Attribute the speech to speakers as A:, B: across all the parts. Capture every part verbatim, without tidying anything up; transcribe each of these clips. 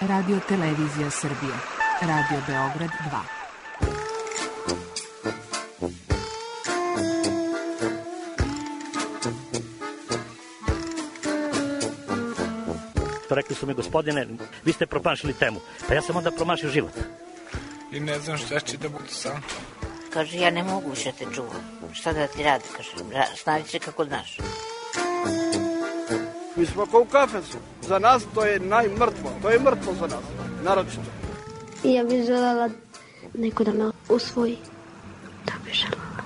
A: Radio Televizija Srbije. Radio Beograd dva.
B: Rekli su mi, gospodine, vi ste promašili temu. Pa ja sam onda promašio život.
C: I ne znam šta će da bude sam.
D: Kaže, ja ne mogu više te čuvam. Šta da ti radi? Kaže, snavi se kako znaš.
E: Mi smo kao u kafesu. Za nas to je najmrtvo. To je mrtvo za nas. Naročito.
F: Ja bih želela neko da me usvoji. Da bih želela.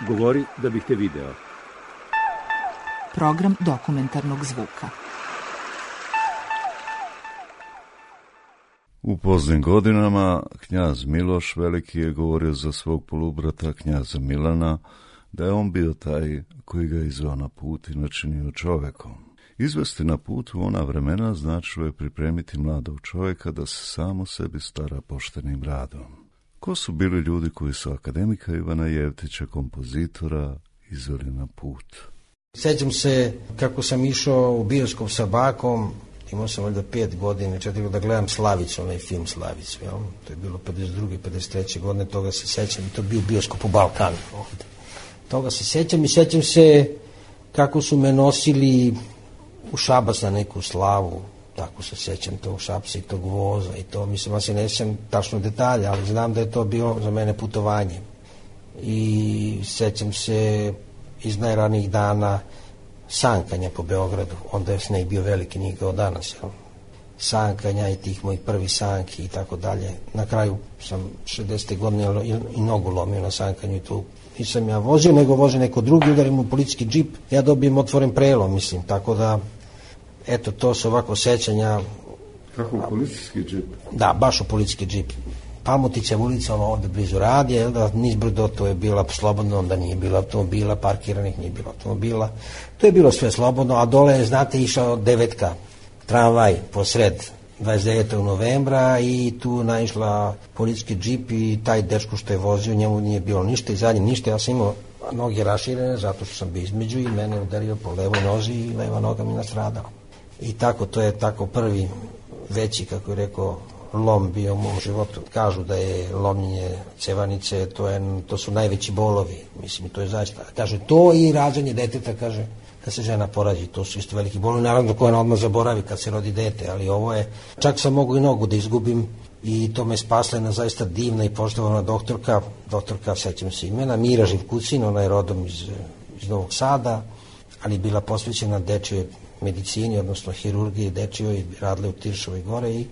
G: Govori da bih te video.
A: Program dokumentarnog zvuka.
H: U poznim godinama knjaz Miloš Veliki je govorio za svog polubrata knjaza Milana da je on bio taj koji ga izveo na put i načinio čovekom. Izvesti na put u ona vremena značilo je pripremiti mladog čovjeka da se samo sebi stara poštenim radom. Ko su bili ljudi koji su akademika Ivana Jevtića, kompozitora, izveli na put?
I: Sjećam se kako sam išao u bioskop sa bakom, imao sam valjda pet godine, četiri da gledam Slavicu, onaj film Slavicu, jel? To je bilo pedeset druge, pedeset treće godine, toga se sjećam i to je bio bioskop u Balkanu ovdje. Toga se sjećam i sjećam se kako su me nosili u Šabac na neku slavu, tako se sjećam tog Šapsa i tog voza i to, mislim, ja se ne sjećam tačno detalja, ali znam da je to bilo za mene putovanje. I sjećam se iz najranijih dana sankanja po Beogradu, onda je sneg bio veliki, nije kao danas, jel? Sankanja i tih mojih prvih sanki i tako dalje. Na kraju sam šedesete godine i nogu lomio na sankanju i tu nisam ja vozio, nego vozi neko drugi, udarim u policijski džip, ja dobijem otvoren prelom, mislim, tako da, eto, to su ovako sećanja.
H: Kako u policijski džip?
I: Da, baš u policijski džip. Palmotića ulica, ono ovdje blizu radija, da nizbrdo to je bila slobodno, onda nije bilo automobila, parkiranih nije bilo automobila, to je bilo sve slobodno, a dole je, znate, išao devetka, tramvaj posred dvadeset devetog novembra i tu naišla policijski džip i taj dečko što je vozio, njemu nije bilo ništa i zadnje ništa, ja sam imao noge raširene zato što sam bio između i mene udario po levoj nozi i leva noga mi nastradala. I tako, to je tako prvi veći, kako je rekao, lom bio u mom životu. Kažu da je lomljenje cevanice, to, je, to su najveći bolovi, mislim, to je zaista. Kaže, to i rađanje deteta, kaže, kad se žena porađi, to su isto veliki bolovi, naravno koja odmah zaboravi kad se rodi dete, ali ovo je, čak sam mogu i nogu da izgubim i to me spasla jedna zaista divna i poštovana doktorka, doktorka, sećam se imena, Mira Živkucin, ona je rodom iz, iz Novog Sada, ali bila posvećena dečjoj medicini, odnosno hirurgiji dečjoj i radila u Tiršovoj gore i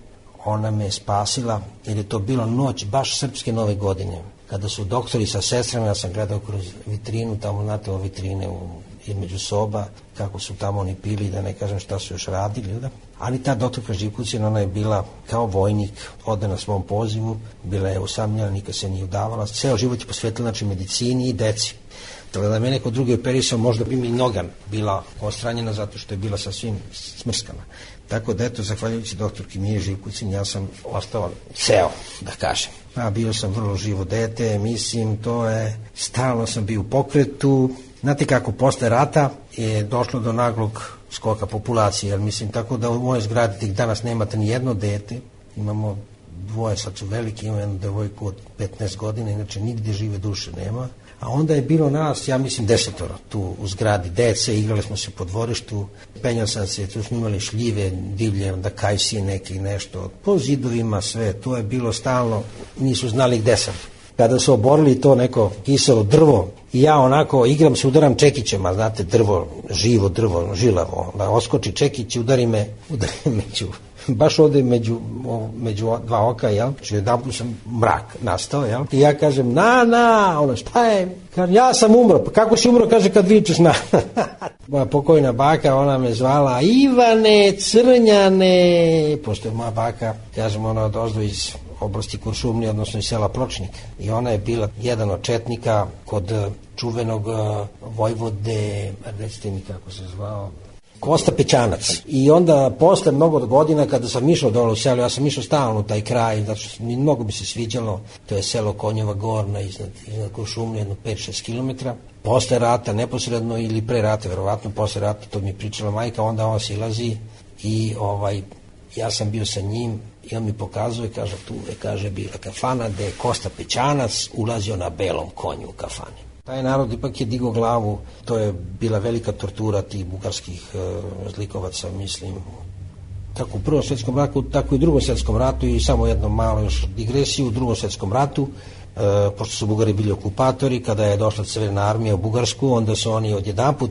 I: ona me spasila, jer je to bilo noć baš srpske nove godine, kada su doktori sa sestrama, ja sam gledao kroz vitrinu, tamo znate o vitrine u, između soba, kako su tamo oni pili, da ne kažem šta su još radili, da? Ali ta doktorka Živkucin, ona je bila kao vojnik, ode na svom pozivu, bila je usamljena, nikad se nije udavala, ceo život je posvetila, znači, medicini i deci. Tako da me neko drugi operisao, možda bi mi noga bila ostranjena zato što je bila sasvim smrskana. Tako da, eto, zahvaljujući doktorki Miri Živkucin, ja sam ostao ceo, da kažem. A bio sam vrlo živo dete, mislim, to je, stalno sam bio u pokretu. Znate kako, posle rata je došlo do naglog skoka populacije, jer mislim, tako da u mojoj zgradi tih danas nemate ni jedno dete, imamo dvoje, sad su veliki, imamo jednu devojku od petnaest godina, inače nigdje žive duše nema. A onda je bilo nas, ja mislim, desetoro tu u zgradi dece, igrali smo se po dvorištu, penjao sam se, tu smo imali šljive, divlje, onda kajsije neki nešto, po zidovima sve, to je bilo stalno, nisu znali gde sam. Kada su oborili to neko kiselo drvo i ja onako igram se, udaram čekićem, a znate, drvo, živo drvo, žilavo, da oskoči čekić i udari me, udari me među, baš ovdje među, među dva oka, jel? Znači, jedan put sam mrak nastao, jel? I ja kažem, na, na, ono, šta je? Kažem, ja sam umro, pa kako si umro, kaže, kad vičeš na. Moja pokojna baka, ona me zvala Ivane, Crnjane, pošto je moja baka, kažem, ona odozdo iz oblasti Kuršumlije, odnosno iz sela Pločnik. I ona je bila jedan od četnika kod čuvenog vojvode, recite mi kako se zvao, Kosta Pećanac. I onda posle mnogo godina kada sam išao dole u selo, ja sam išao stalno u taj kraj, zato što mi mnogo bi se sviđalo, to je selo Konjeva Gorna iznad, iznad Kuršumlije, jedno pet šest kilometara. Posle rata, neposredno ili pre rata, verovatno posle rata, to mi je pričala majka, onda on silazi i ovaj, ja sam bio sa njim i on mi pokazuje, kaže, tu je, kaže, bila kafana gde je Kosta Pećanac ulazio na belom konju u kafani. Taj narod ipak je digao glavu, to je bila velika tortura tih bugarskih e, zlikovaca, mislim, kako u Prvom svjetskom ratu, tako i u Drugom svjetskom ratu i samo jedno malo još digresiju u Drugom svjetskom ratu, e, pošto su Bugari bili okupatori, kada je došla Crvena armija u Bugarsku, onda su oni odjedanput,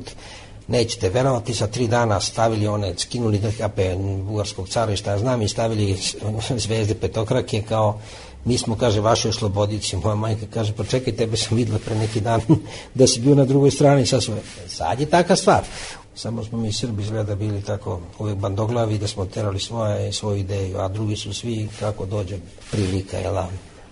I: nećete verovati, sa tri dana stavili one, skinuli drkape bugarskog cara i šta ja znam i stavili zvezde petokrake kao mi smo, kaže, vaši oslobodici. Moja majka kaže, pa čekaj, tebe sam videla pre neki dan da si bio na drugoj strani. Sad, su, sad je taka stvar. Samo smo mi Srbi izgleda bili tako uvijek bandoglavi da smo terali svoje, svoju ideju, a drugi su svi kako dođe prilika. Jel?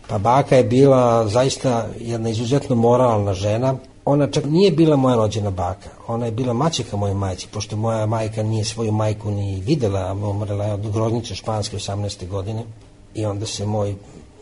I: Pa baka je bila zaista jedna izuzetno moralna žena. Ona čak nije bila moja rođena baka, ona je bila maćeha moje majci, pošto moja majka nije svoju majku ni videla, umrela je od groznice španske osamnaeste godine i onda se moj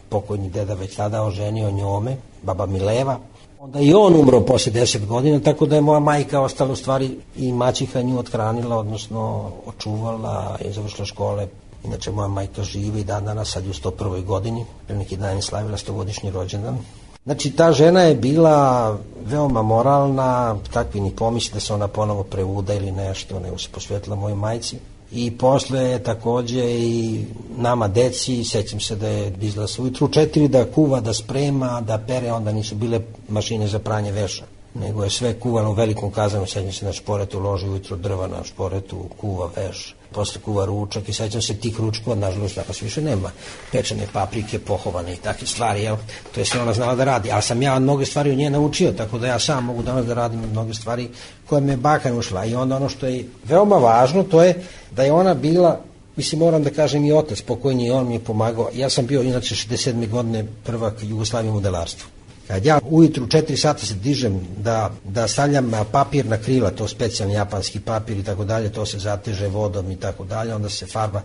I: pokojni deda već tada oženio njome, baba Mileva. Onda i on umro posle deset godina, tako da je moja majka ostala u stvari i maćeha nju othranila, odnosno očuvala i završila škole. Inače, moja majka živi i dan danas, sad je u sto prvoj godini, pre neki dan je slavila stogodišnji rođendan. Znači, ta žena je bila veoma moralna, takvi ni pomisli da se ona ponovo prevuda ili nešto, nego se posvetila mojoj majci. I posle je takođe i nama deci, sećam se da je izla se ujutru četiri da kuva, da sprema, da pere, onda nisu bile mašine za pranje veša, nego je sve kuvano u velikom kazanu, sećam se na šporetu, loži ujutru drva na šporetu, kuva veš, posle kuva ručak i sećam se tih ručkova, nažalost danas više nema, pečene paprike, pohovane i takve stvari, jel? To je sve ona znala da radi, ali sam ja mnoge stvari u nje naučio, tako da ja sam mogu danas da radim mnoge stvari koje me baka naučila. I onda ono što je veoma važno, to je da je ona bila, mislim, moram da kažem i otac pokojni, on mi je pomagao, ja sam bio inače šezdeset sedme godine prvak Jugoslavije u modelarstvu. Kad ja ujutru četiri sata se dižem da, da stavljam papir na krila, to specijalni japanski papir i tako dalje, to se zateže vodom i tako dalje, onda se farba.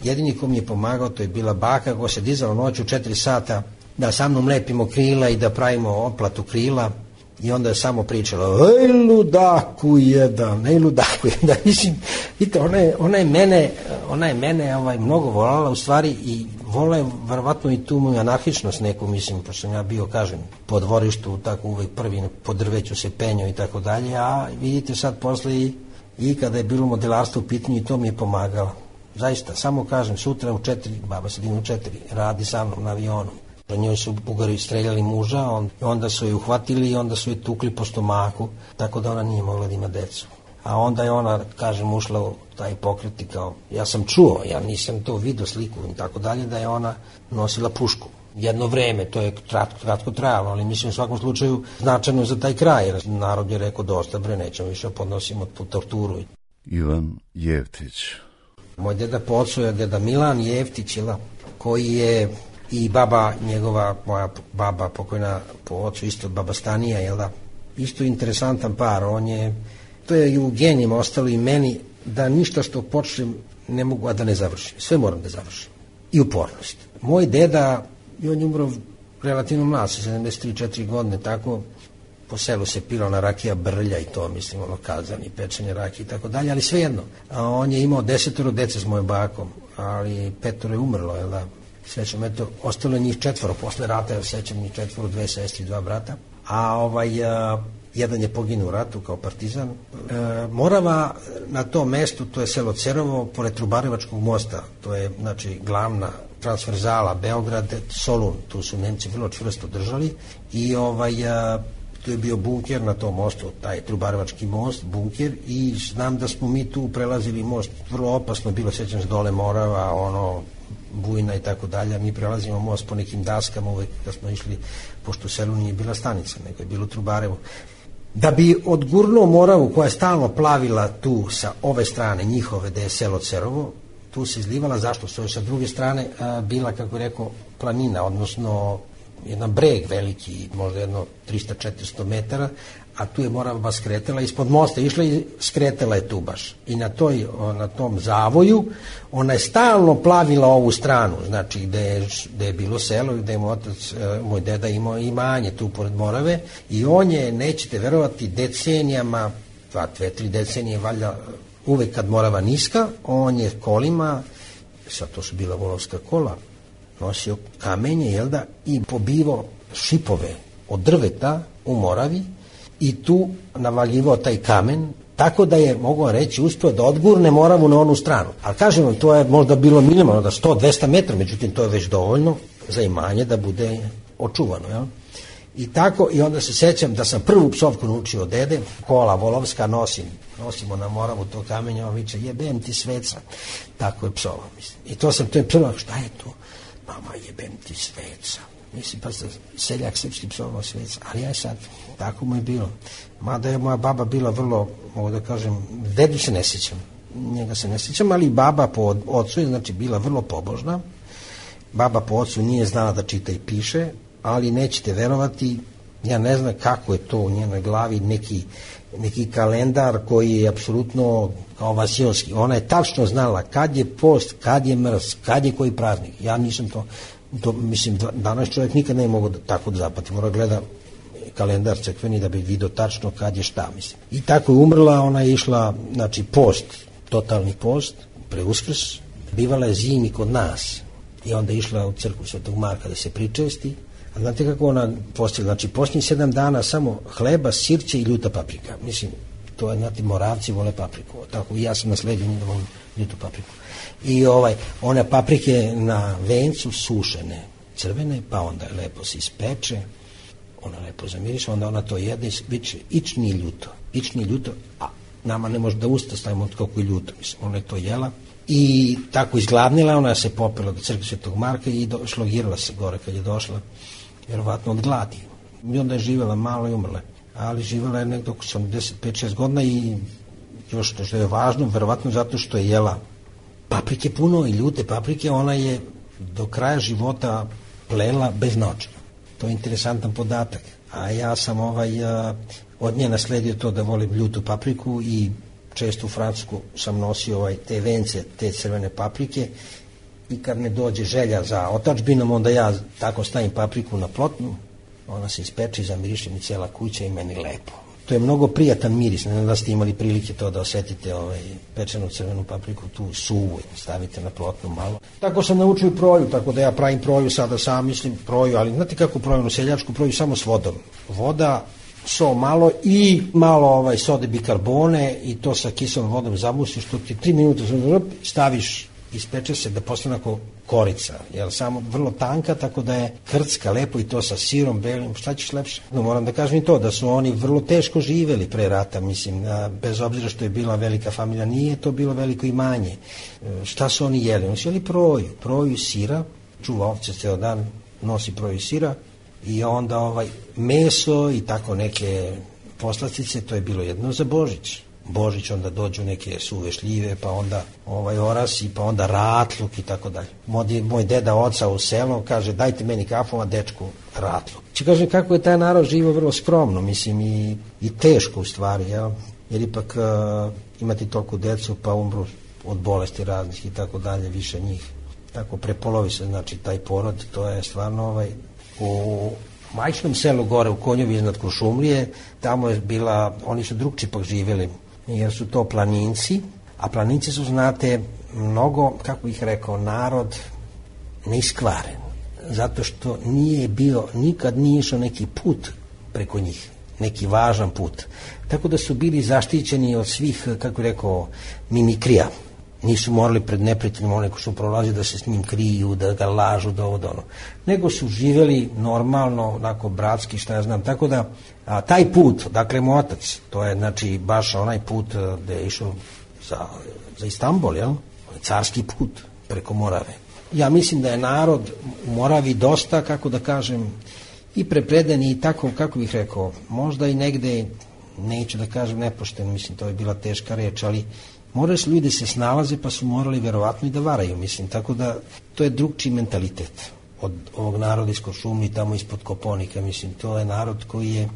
I: Jedini ko mi je pomagao, to je bila baka koja se dizala noću četiri sata da sa mnom lepimo krila i da pravimo oplatu krila i onda je samo pričala, ej ludaku jedan, ej ludaku jedan, mislim, vidite, ona je, ona je mene, ona je mene ovaj, mnogo volala u stvari i vola je verovatno i tu moju anarhičnost neku, mislim, pošto sam ja bio, kažem, po dvorištu, tako uvek prvi po drveću se penjao i tako dalje, a vidite sad posle i, i kada je bilo modelarstvo u pitanju i to mi je pomagalo. Zaista, samo kažem, sutra u četiri, baba se dinu u četiri, radi sa mnom na avionu. Za njoj su Bugari streljali muža, on, onda su je uhvatili i onda su je tukli po stomaku, tako da ona nije mogla da ima decu. A onda je ona, kažem, ušla u taj pokret i kao, ja sam čuo, ja nisam to vidio sliku i tako dalje, da je ona nosila pušku. Jedno vreme, to je kratko, kratko trajalo, ali mislim u svakom slučaju značajno za taj kraj, jer narod je rekao dosta bre, nećemo više podnosimo tu torturu.
H: Ivan Jeftić.
I: Moj deda po ocu je deda Milan Jeftić, koji je i baba njegova, moja baba pokojna po ocu, isto baba Stanija, jel da? Isto interesantan par, on je, to je i u genijima ostalo i meni, da ništa što počnem ne mogu, a da ne završim. Sve moram da završim. I upornost. Moj deda, i on je umro relativno mlad, sa sedamdeset tri četiri godine, tako, po selu se pila na rakija brlja i to, mislim, ono, kazan i pečenje rakije i tako dalje, ali svejedno. A on je imao desetoro dece s mojom bakom, ali petoro je umrlo, jel da? Sećam, eto, ostalo je njih četvoro posle rata, jer sećam njih četvoro, dve sestri, dva brata, a ovaj, a, jedan je poginuo u ratu kao partizan. E, Morava na tom mestu, to je selo Cerovo, pored Trubarevačkog mosta, to je, znači, glavna transverzala, Beograd, Solun, tu su Nemci vrlo čvrsto držali i ovaj, a, tu je bio bunker na tom mostu, taj Trubarevački most, bunker, i znam da smo mi tu prelazili most, vrlo opasno bilo, sećam se dole Morava, ono, Bujna i tako dalje, mi prelazimo most po nekim daskama uvek kad smo išli, pošto u selu nije bila stanica, nego je bilo Trubarevo. Da bi odgurnuo Moravu koja je stalno plavila tu sa ove strane njihove, gde je selo Cerovo, tu se izlivala, zašto? Što je sa druge strane a, bila, kako rekao, planina, odnosno jedan breg veliki, možda jedno trista do četiristo metara, a tu je Morava skretala, ispod mosta išla i skretala je tu baš. I na, toj, na tom zavoju ona je stalno plavila ovu stranu, znači gde je, gde je bilo selo i gde je moj otac, moj deda imao imanje tu pored Morave i on je, nećete verovati, decenijama, dva, dve, tri decenije valjda uvek kad Morava niska, on je kolima, sad to su bila volovska kola, nosio kamenje, jel da, i pobivao šipove od drveta u Moravi i tu navaljivao taj kamen, tako da je, mogu reći, uspio da odgurne Moravu na onu stranu. Ali kažem vam, to je možda bilo minimalno, da sto do dvesta metra, međutim to je već dovoljno za imanje da bude očuvano, jel? I tako, i onda se sećam da sam prvu psovku naučio od dede, kola volovska nosim, nosimo na Moravu to kamenje, on viče, jebem ti sveca, tako je psova, mislim. I to sam, to je prvo, šta je to? Mama, jebem ti sveca. Mislim, pa seljak srpski psovao sveca, ali ja sad, tako mu je bilo. Mada je moja baba bila vrlo, mogu da kažem, dedu se ne sjećam, njega se ne sjećam, ali baba po ocu je, znači, bila vrlo pobožna. Baba po ocu nije znala da čita i piše, ali nećete verovati, ja ne znam kako je to u njenoj glavi, neki, neki kalendar koji je apsolutno kao vasilski. Ona je tačno znala kad je post, kad je mrz, kad je koji praznik. Ja nisam to, to mislim, danas čovjek nikad ne mogu da, tako da zapati, mora gleda kalendar crkveni da bi vidio tačno kad je šta, mislim. I tako je umrla, ona je išla, znači, post, totalni post, pre Uskrs, bivala je zimi kod nas i onda je išla u crkvu Svetog Marka da se pričesti. A znate kako ona postila? Znači, posljednjih sedam dana samo hleba, sirće i ljuta paprika. Mislim, to je, znate, Moravci vole papriku. Tako i ja sam nasledio njih da volim ljutu papriku. I ovaj, one paprike na vencu sušene, crvene, pa onda lepo se ispeče, ona lepo zamiriše, onda ona to jede i viče, ić nije ljuto, ić nije ljuto, a nama ne može da usta stavimo od kako je ljuto, mislim, ona je to jela. I tako izgladnila, ona se popela do crkve Svetog Marka i do, šlogirala se gore kad je došla, vjerovatno od gladi. I onda je živjela malo i umrla. Ali živjela je nekdo oko sedamdeset pet šest godina i još što je važno, vjerovatno zato što je jela paprike puno i ljute paprike, ona je do kraja života plela bez naočara. To je interesantan podatak. A ja sam ovaj, a, od nje nasledio to da volim ljutu papriku i često u Francusku sam nosio ovaj, te vence, te crvene paprike i kad me dođe želja za otadžbinom, onda ja tako stavim papriku na plotnu, ona se ispeče i zamiriše mi cijela kuća i meni lepo. To je mnogo prijatan miris, ne znam da ste imali prilike to da osetite ovaj, pečenu crvenu papriku, tu suvu, stavite na plotnu malo. Tako sam naučio proju, tako da ja pravim proju sada sam, mislim proju, ali znate kako proju, seljačku proju samo s vodom. Voda, so malo i malo ovaj, sode bikarbone i to sa kiselom vodom zabusiš, što ti tri minuta staviš, ispeče se da postane ako korica, jer samo vrlo tanka, tako da je krcka lepo i to sa sirom belim, šta ćeš lepše? No, moram da kažem i to, da su oni vrlo teško živeli pre rata, mislim, a, bez obzira što je bila velika familija, nije to bilo veliko imanje. E, šta su oni jeli? Oni su jeli proju, proju sira, čuva ovce ceo dan, nosi proju sira i onda ovaj meso i tako neke poslastice, to je bilo jedno za Božić. Božić, onda dođu neke suve šljive, pa onda ovaj orasi, pa onda ratluk i tako dalje. Moj, moj deda oca u selu kaže, dajte meni kafu, a dečku ratluk. Či kaže, kako je taj narod živo vrlo skromno, mislim, i, i teško u stvari, jel? Jer ipak uh, imati toliko decu, pa umru od bolesti raznih i tako dalje, više njih. Tako prepolovi se, znači, taj porod, to je stvarno ovaj, u majčnom selu gore u Konjovi iznad Kuršumlije, tamo je bila, oni su drugčipak živjeli, jer su to planinci, a planinci su, znate, mnogo, kako bih rekao, narod neiskvaren, zato što nije bio, nikad nije išao neki put preko njih, neki važan put. Tako da su bili zaštićeni od svih, kako bih rekao, mimikrija. Nisu morali pred neprijateljima, one ko su prolazili da se s njim kriju, da ga lažu, da ovo, da ono. Nego su živjeli normalno, onako bratski, šta ja znam. Tako da, a, taj put, dakle, moj otac, to je, znači, baš onaj put gde je išao za, za Istanbul, jel? Carski put preko Morave. Ja mislim da je narod u Moravi dosta, kako da kažem, i prepreden i tako, kako bih rekao, možda i negde, neću da kažem nepošteno, mislim, to je bila teška reč, ali morali su ljudi se snalaze, pa su morali verovatno i da varaju, mislim, tako da to je drugčiji mentalitet od ovog naroda iz Kuršumlije i tamo ispod Koponika, mislim, to je narod koji je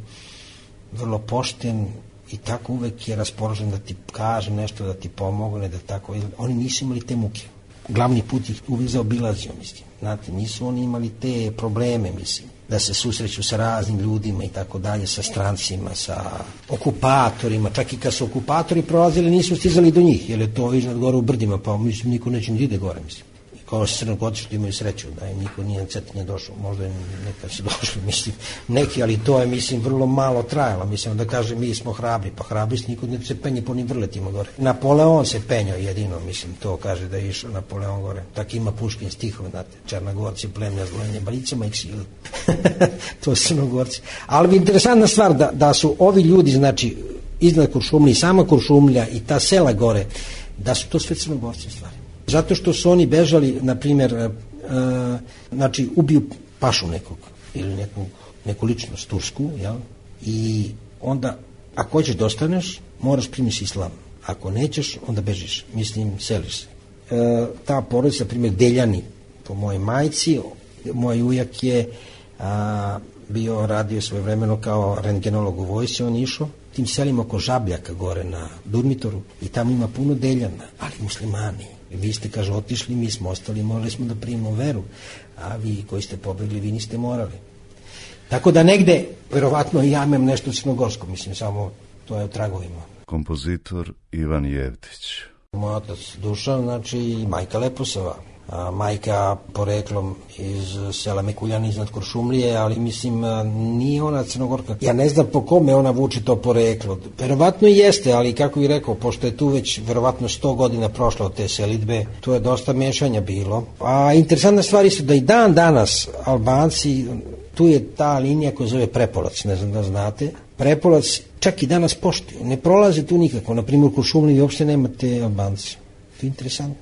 I: vrlo pošten i tako uvek je raspoložen da ti kaže nešto, da ti pomogne, da tako, oni nisu imali te muke. Glavni put ih uvek zaobilazio, mislim, znate, nisu oni imali te probleme, mislim. da se susreću sa raznim ljudima i tako dalje, sa strancima, sa okupatorima, čak i kad su okupatori prolazili nisu stizali do njih, jer je to iznad gore u brdima, pa mislim niko neće ni ide gore, mislim. Kao što Crnogorci što imaju sreću, da im niko nije na Cetinje došao, možda je nekad su došli, mislim, neki, ali to je, mislim, vrlo malo trajalo, mislim, da kaže mi smo hrabri, pa hrabri se niko ne se penje po onim vrletima gore. Napoleon se penjao jedino, mislim, to kaže da je išao Napoleon gore, tak ima Puškin stihove, znate, Črnogorci, plemlja zlojenje balicama i ksili, to su Crnogorci. Ali interesantna stvar da, da su ovi ljudi, znači, iznad Kuršumlije, sama Kuršumlja i ta sela gore, da su to sve Crnogorci stvari. Zato što su oni bežali, na primjer, e, znači, ubiju pašu nekog, ili nekog, neku ličnost tursku, jel? I onda, ako hoćeš da ostaneš, moraš primiti islam. Ako nećeš, onda bežiš, mislim, seliš se. E, ta porodica, na primjer, Deljani, po mojoj majci, moj ujak je a, bio, radio svojevremeno kao rentgenolog u vojsci, on išao tim selima oko Žabljaka gore na Durmitoru i tamo ima puno Deljana, ali muslimani. Vi ste, kaže, otišli, mi smo ostali, morali smo da primimo veru, a vi koji ste pobegli, vi niste morali. Tako da negde, verovatno, ja imam nešto crnogorsko, mislim, samo to je u tragovima.
H: Kompozitor Ivan Jevtić.
I: Moj otac Dušan, znači, majka Leposava. A, majka poreklom iz sela Mekuljani iznad Kuršumlije, ali mislim nije ona Crnogorka. Ja ne znam po kome ona vuče to poreklo. Verovatno i jeste, ali kako bih rekao, pošto je tu već verovatno sto godina prošlo od te selidbe, tu je dosta mešanja bilo. A interesantna stvar su da i dan danas Albanci, tu je ta linija koja zove Prepolac, ne znam da znate. Prepolac čak i danas poštuju, ne prolaze tu nikako. Na primjer u Kuršumliji uopšte nemate Albanci. To je interesantno.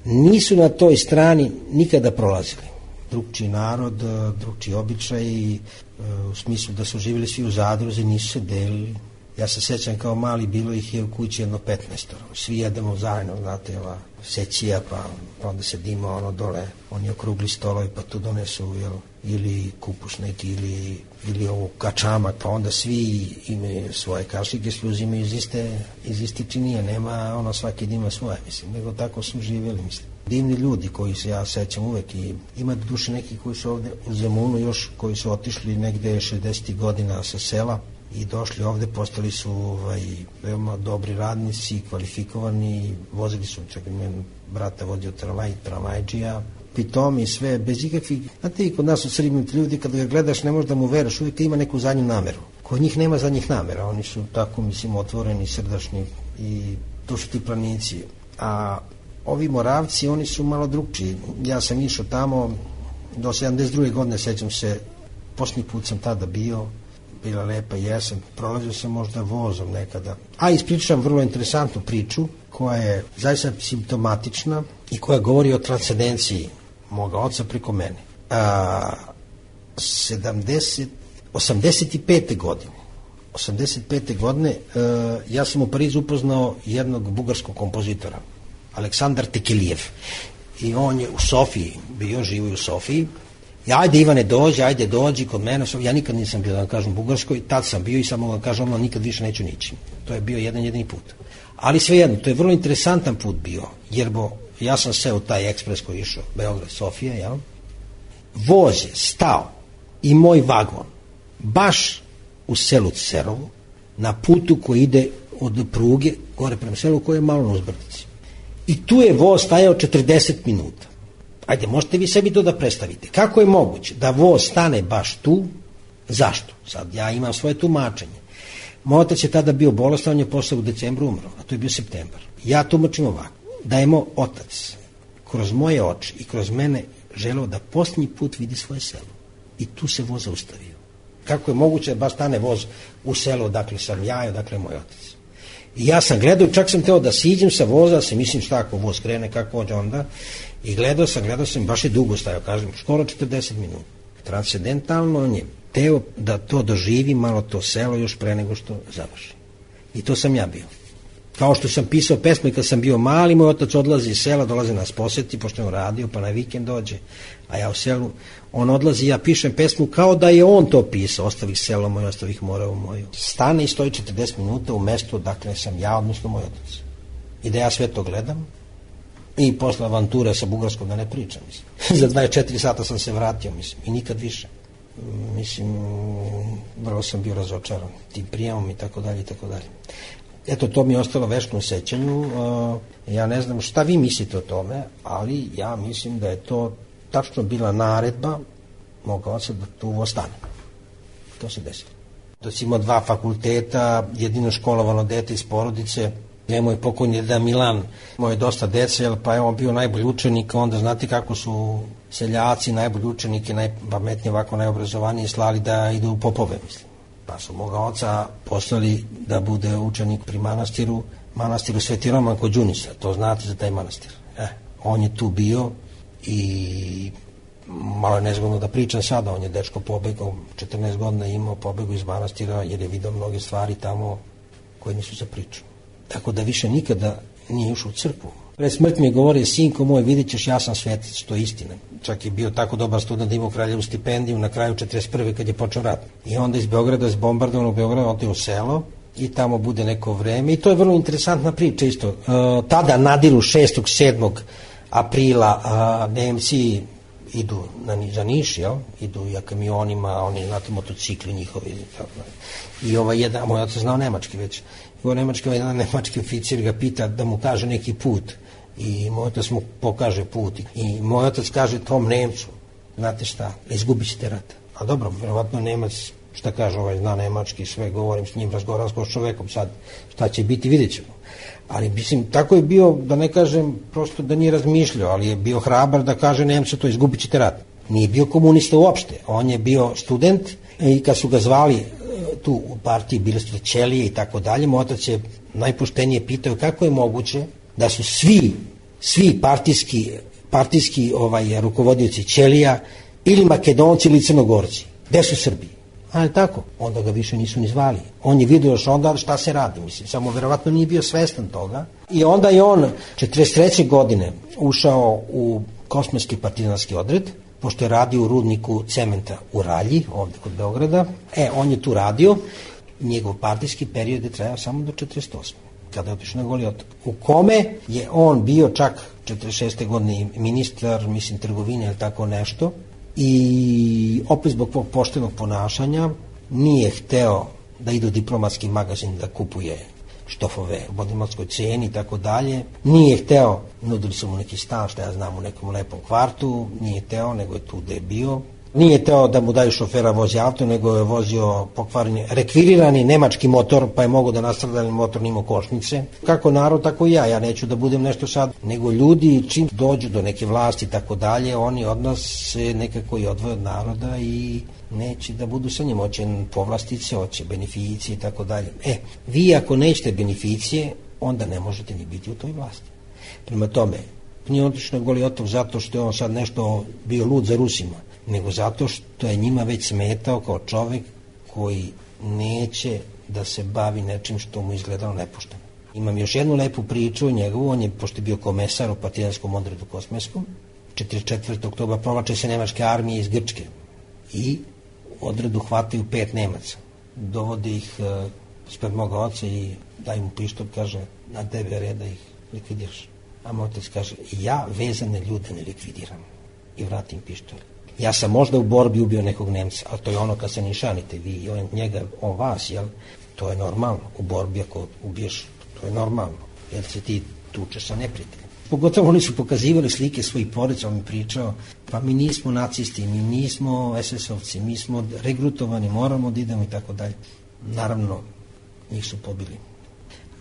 I: Nisu na toj strani nikada prolazili. Drugčiji narod, drugčiji običaj, u smislu da su živjeli svi u zadruzi, nisu se delili. Ja se sećam kao mali, bilo ih je u kući jedno petnaestoro. Svi jedemo zajedno, znate, ova sećija, pa, pa onda sedimo ono dole, oni okrugli stolovi, pa tu donesu, jel, ili kupus neki, ili, ili ovu kačamak, pa onda svi imaju svoje kašike, svi uzimaju iz iste, iz iste činije, nema ono svaki ima svoje, mislim, nego tako su živjeli, mislim. Divni ljudi koji se ja sećam uvek i ima duše neki koji su ovde u Zemunu još, koji su otišli negde šezdesetih godina sa sela i došli ovde, postali su ovaj, veoma dobri radnici, kvalifikovani, vozili su, čak imam brata vodio tramvaj, tramvajđija, pitom i sve, bez ikakvih, znate i kod nas u Srbiji ljudi, kada ga gledaš ne možeš da mu veruješ, uvijek ima neku zadnju nameru. Kod njih nema zadnjih namera, oni su tako, mislim, otvoreni, srdačni i to su ti planici. A ovi Moravci, oni su malo drugčiji. Ja sam išao tamo do sedamdeset druge godine, sećam se, posljednji put sam tada bio, bila lepa jesen, prolazio sam možda vozom nekada. A ispričam vrlo interesantnu priču koja je zaista simptomatična i koja govori o transcendenciji moga oca preko mene. A, sedamdeset, osamdeset pete godine osamdeset pete godine a, ja sam u Parizu upoznao jednog bugarskog kompozitora, Aleksandar Tekelijev, i on je u Sofiji bio, živo u Sofiji. Ja, ajde Ivane dođi, ajde dođi kod mene, ja nikad nisam bio, da vam kažem, u Bugarskoj, tad sam bio i samo da kažem, ono, nikad više neću nići. To je bio jedan jedini put. Ali svejedno, to je vrlo interesantan put bio, jer bo, ja sam seo u taj ekspres koji je išao, Beograd, Sofija, jel? Voz je stao i moj vagon, baš u selu Cerovu, na putu koji ide od pruge, gore prema selu, koji je malo na uzbrdici. I tu je voz stajao četrdeset minuta. Ajde, možete vi sebi to da predstavite. Kako je moguće da voz stane baš tu? Zašto? Sad ja imam svoje tumačenje. Moj otac je tada bio bolestan, on je posle u decembru umro, a to je bio septembar. Ja tumačim ovako, da je moj otac kroz moje oči i kroz mene želeo da posljednji put vidi svoje selo. I tu se voz zaustavio. Kako je moguće da baš stane voz u selo, dakle sam ja i odakle moj otac. I ja sam gledao, čak sam teo da siđem sa voza, se mislim šta ako voz krene, kako hođe onda, i gledao sam, gledao sam, baš je dugo stajao, kažem, skoro četrdeset minuta. Transcendentalno on je teo da to doživi malo to selo još pre nego što završi. I to sam ja bio. Kao što sam pisao pesme kad sam bio mali, moj otac odlazi iz sela, dolazi nas posjeti, pošto je on radio, pa na vikend dođe, a ja u selu, on odlazi, ja pišem pesmu kao da je on to pisao, ostavih selo moje, ostavih moravu moju. Stane i stoji četrdeset minuta u mestu, dakle sam ja, odnosno moj otac. I da ja sve to gledam, i posle avanture sa Bugarskom da ne pričam, mislim. Za dvadeset četiri sata sam se vratio, mislim, i nikad više. mislim, vrlo sam bio razočaran tim prijemom i tako dalje i tako dalje. Eto, to mi je ostalo večno u sećanju. Ja ne znam šta vi mislite o tome, ali ja mislim da je to tačno bila naredba moga oca da tu ostane. To se desilo. Da si imao dva fakulteta, jedino školovano dete iz porodice, je moj pokojni deda Milan, imao je dosta dece, pa je on bio najbolji učenik, onda znate kako su seljaci, najbolji učenike, najpametnije, ovako najobrazovaniji, slali da idu u popove, mislim. Pa su moga oca poslali da bude učenik pri manastiru, manastiru Sveti Roman kod Đunisa, to znate za taj manastir. Eh, on je tu bio i malo je nezgodno da pričam sada, on je dečko pobegao, četrnaest godina imao, pobegao iz manastira jer je vidio mnoge stvari tamo koje nisu za priču. Tako da više nikada nije ušao u crkvu. Pred smrt mi je govorio, sinko moj, vidit ćeš, ja sam svetac, to je istina. Čak je bio tako dobar student da imao kraljevu stipendiju na kraju četrdeset prve kad je počeo rat. I onda iz Beograda, iz bombardovanog Beograda, otišao u selo i tamo bude neko vreme. I to je vrlo interesantna priča isto. E, tada nadiru šestog sedmog aprila a, Nemci idu na, za Niš, jel? Idu ja kamionima, oni, znate, motocikli njihovi. I ovaj jedan, moj otac znao nemački već. I ovaj nemački, jedan nemački oficir ga pita da mu kaže neki put. I moj otac mu pokaže put. I moj otac kaže tom Nemcu, znate šta, izgubit ćete rat. A dobro, verovatno Nemac, šta kaže, ovaj zna nemački, sve govorim s njim, razgovaram s čovekom, sad šta će biti, vidjet ćemo. Ali mislim, tako je bio, da ne kažem, prosto da nije razmišljao, ali je bio hrabar da kaže Nemcu to, izgubit ćete rat. Nije bio komunista uopšte, on je bio student i kad su ga zvali tu u partiji, bili su ćelije i tako dalje, moj otac je najpoštenije pitao kako je moguće da su svi, svi partijski, partijski ovaj, rukovodioci ćelija ili Makedonci ili Crnogorci. Gde su Srbi? Ali tako, onda ga više nisu ni zvali. On je vidio još onda šta se radi, mislim, samo verovatno nije bio svestan toga. I onda je on četrdeset treće godine ušao u kosmetski partizanski odred, pošto je radio u rudniku cementa u Ralji, ovde kod Beograda. E, on je tu radio, njegov partijski period je trajao samo do četrdeset osme kada je otišao na Goli otok, u kome je on bio čak četrdeset šeste godine ministar, mislim, trgovine ili tako nešto, i opet zbog svog poštenog ponašanja nije hteo da ide u diplomatski magazin da kupuje štofove u diplomatskoj ceni i tako dalje. Nije hteo, nudili su mu neki stan, što ja znam, u nekom lepom kvartu, nije hteo, nego je tu gde je bio. Nije hteo da mu daju šofera vozi auto, nego je vozio pokvareni, rekvirirani nemački motor, pa je mogo da nastradali motor nimo košnice. Kako narod, tako i ja. Ja neću da budem nešto sad, nego ljudi čim dođu do neke vlasti i tako dalje, oni od nas se nekako i odvoje od naroda i neće da budu sa njim, hoće povlastice, hoće beneficije i tako dalje. E, vi ako nećete beneficije, onda ne možete ni biti u toj vlasti. Prema tome, nije otišao na Goli otok zato što je on sad nešto bio lud za Rusima, nego zato što je njima već smetao kao čovek koji neće da se bavi nečim što mu izgledalo nepošteno. Imam još jednu lepu priču o njegovu, on je, pošto je bio komesar u partizanskom odredu kosmetskom, četrdeset četvrtog oktobra provlače se nemačke armije iz Grčke i u odredu hvataju pet Nemaca. Dovode ih uh, spred moga oca i daj mu pištolj, kaže, na tebe red da ih likvidiraš. A moj otac kaže, ja vezane ljude ne likvidiram, i vratim pištolj. Ja sam možda u borbi ubio nekog Nemca, ali to je ono kad se nišanite vi i on njega, on vas, jel? To je normalno. U borbi ako ubiješ, to je normalno, jer se ti tučeš sa neprijateljem. Pogotovo oni su pokazivali slike svojih porodica, on mi pričao, pa mi nismo nacisti, mi nismo es es ovci, mi smo regrutovani, moramo da idemo i tako dalje. Naravno, njih su pobili.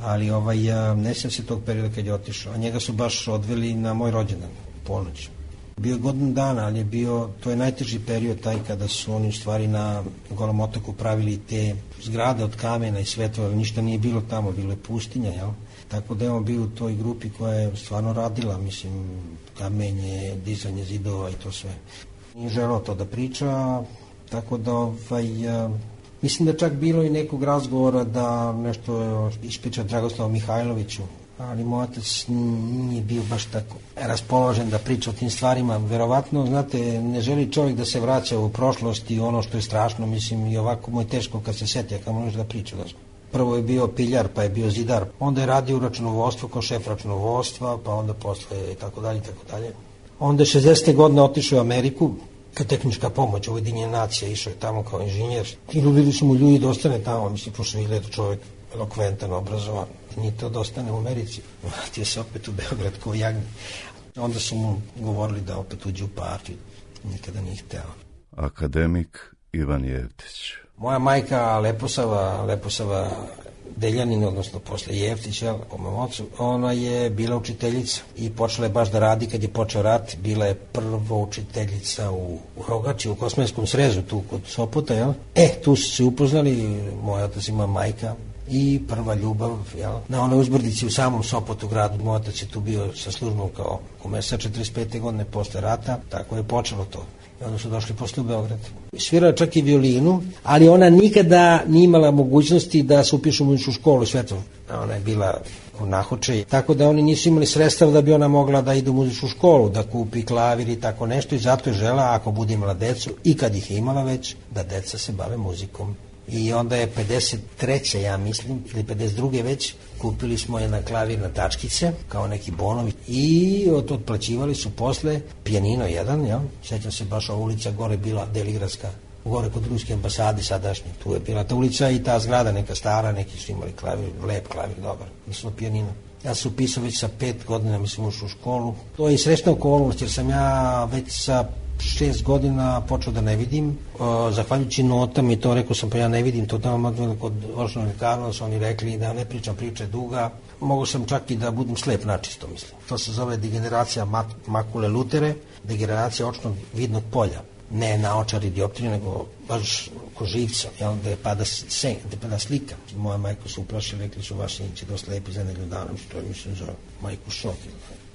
I: Ali ovaj, ne sjećam se tog perioda kad je otišao, a njega su baš odveli na moj rođendan, ponoć. Bio je godinu dana, ali je bio, to je najteži period taj kada su oni u stvari na Golom otoku pravili te zgrade od kamena i svetova, ali ništa nije bilo tamo, bilo je pustinja, jel? Tako da je on bio u toj grupi koja je stvarno radila, mislim, kamenje, dizanje zidova i to sve. Nije želeo to da priča, tako da ovaj, a, mislim da čak bilo i nekog razgovora da nešto ispriča Dragoslavu Mihajloviću, ali moj otac nije bio baš tako raspoložen da priča o tim stvarima. Verovatno, znate, ne želi čovjek da se vraća u prošlost i ono što je strašno, mislim, i ovako mu je teško kad se setija, kad možeš da priča. Da. Prvo je bio piljar, pa je bio zidar, onda je radio u računovodstvu kao šef računovodstva, pa onda posle i tako dalje i tako dalje. Onda je šezdesete godine otišao u Ameriku kao tehnička pomoć, Ujedinjene nacije, išao je tamo kao inženjer. I ljubili su mu ljudi da ostane tamo, mislim, pošto je to čovjek elokventan, obrazovan. Nije to da ostane u Americi, vratio se opet u Beograd kao jagnje. Onda su mu govorili da opet uđe u partiju, nikada nije hteo.
H: Akademik Ivan Jevtić.
I: Moja majka Leposava, Leposava Deljanin, odnosno posle Jevtić, jel, po mom ocu, ona je bila učiteljica i počela je baš da radi kad je počeo rat. Bila je prva učiteljica u, u Rogači, u Kosmenskom srezu, tu kod Sopota, jel? E, tu su se upoznali, moj otac ima majka i prva ljubav, jel? Na onoj uzbrdici u samom Sopotu gradu, moj otac je tu bio sa službom kao komesar četrdeset pete godine posle rata, tako je počelo to. I onda su došli posle u Beograd. Svirala čak i violinu, ali ona nikada nije imala mogućnosti da se upiše u muzičku školu svetom. Ona je bila u Nahoče, tako da oni nisu imali sredstva da bi ona mogla da ide u muzičku školu, da kupi klavir i tako nešto, i zato je žela, ako bude imala decu, i kad ih je imala već, da deca se bave muzikom. I onda je pedeset treće ja mislim, ili pedeset druge već, kupili smo jedna klavirna tačkice, kao neki bonovi, i od otplaćivali su posle pijanino jedan, jel? Sećam se, baš ova ulica gore bila Deligradska, gore kod ruske ambasade sadašnje, tu je bila ta ulica i ta zgrada neka stara, neki su imali klavir, lep klavir, dobar, mislim pijanino. Ja sam upisao već sa pet godina, mislim, ušao u školu. To je i srećna okolnost, jer sam ja već sa šest godina počeo da ne vidim, o, zahvaljujući notama, i to rekao sam, pa ja ne vidim, to tamo kod Ošnog lekara su oni rekli da ne pričam, priča je duga. Mogu sam čak i da budem slep načisto, mislim. To se zove degeneracija makule lutere, degeneracija očnog vidnog polja. Ne naočar i dioptrije, nego baš ko živca, jel, da je pada, sen, da je pada slika. Moja majka su uplašili, rekli su, vaš sin će dosta lepi za nedelju dana, što je, mislim, za majku šok.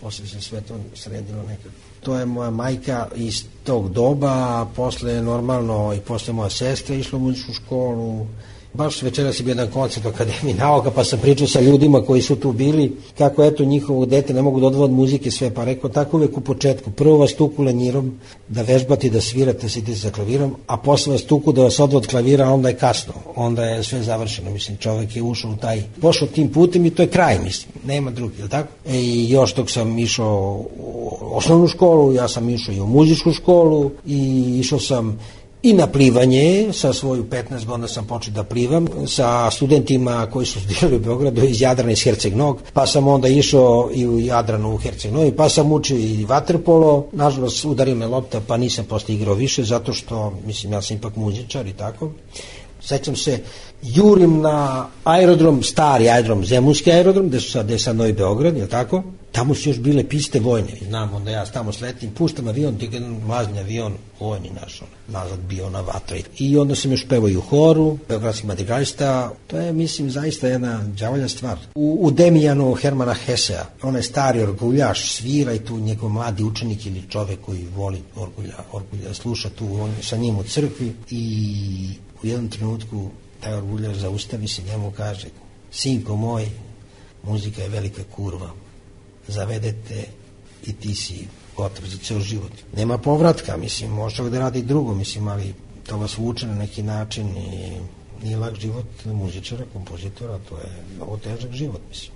I: Posle se sve to sredilo nekako. To je moja majka iz tog doba, a posle normalno i posle moja sestra išla u muzičku školu. Baš večeras je bio jedan koncert u Akademiji nauka, pa sam pričao sa ljudima koji su tu bili, kako eto njihovo dete ne mogu da odvode od muzike sve, pa rekao tako uvek u početku, prvo vas tuku lenjirom da vežbate, da svirate, sidite za klavirom, a posle vas tuku da vas odvode od klavira, a onda je kasno, onda je sve završeno, mislim, čovek je ušao u taj, pošao tim putem i to je kraj, mislim, nema drugi, je li tako? E, i još dok sam išao u osnovnu školu, ja sam išao i u muzičku školu i išao sam i na plivanje, sa svoju petnaest godina sam počeo da plivam, sa studentima koji su studirali u Beogradu iz Jadrana, iz Herceg-Nog, pa sam onda išao i u Jadranu u Herceg-Nog, pa sam učio i vaterpolo, nažalost udario me lopta, pa nisam posle igrao više, zato što, mislim, ja sam ipak muzičar i tako. Sećam se, jurim na aerodrom, stari aerodrom, Zemunski aerodrom, gde su sad, gde je sad Novi Beograd, je li tako? Tamo su još bile piste vojne, znam, onda ja tamo sletim, puštam avion, ti jedan mlazni avion, vojni naš, nazad bio na vatra. I onda sam još pevao i u horu, beogradskih madrigalista, to je, mislim, zaista jedna đavolja stvar. U, u Demijanu Hermana Hesea, on je stari orguljaš, svira i tu njegov mladi učenik ili čovek koji voli orgulja, orgulja sluša tu, on je sa njim u crkvi i u jednom trenutku taj orguljaš zaustavi se, njemu kaže, sinko moj, muzika je velika kurva, zavedete i ti si gotov za ceo život. Nema povratka, mislim, može čovjek da radi drugo, mislim, ali to vas vuče na neki način i nije lak život muzičara, kompozitora, to je mnogo težak život, mislim.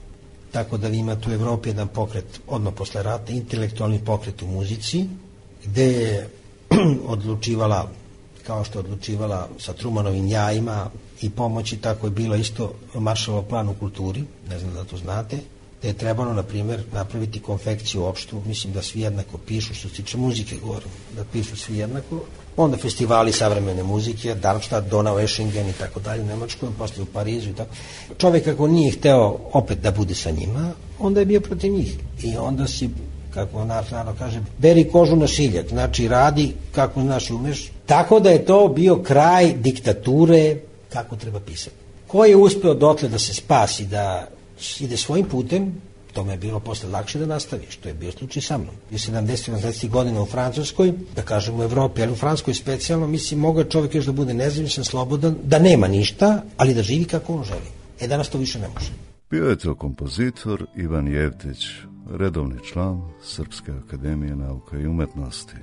I: Tako da ima tu u Evropi jedan pokret, odmah posle rata, intelektualni pokret u muzici, gde je odlučivala, kao što je odlučivala sa Trumanovim jajima i pomoći, tako je bilo isto Maršalov plan u kulturi, ne znam da to znate, da je trebalo, na primjer, napraviti konfekciju opštu, mislim da svi jednako pišu, što se tiče muzike govorim, da pišu svi jednako, onda festivali savremene muzike, Darmstadt, Donau, Eschingen i tako dalje u Nemačkoj, posle u Parizu i tako. Čovjek ako nije hteo opet da bude sa njima, onda je bio protiv njih i onda si, kako naš narod kaže, beri kožu na šiljak, znači radi kako znaš i umeš. Tako da je to bio kraj diktature kako treba pisati. Ko je uspeo dotle da se spasi, da ide svojim putem, to me je bilo posle lakše da nastavi, što je bio slučaj sa mnom. Bio sedamdeset sedamdeset godina u Francuskoj, da kažem u Evropi, ali u Francuskoj specijalno, mislim, mogo je čovjek još da bude nezavisan, slobodan, da nema ništa, ali da živi kako on želi. E, danas to više ne može.
H: Bio je to kompozitor Ivan Jevtić, redovni član Srpske akademije nauka i umetnosti.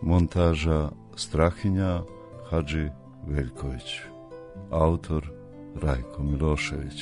H: Montaža Strahinja Hadži Veljković. Autor Rajko Milošević.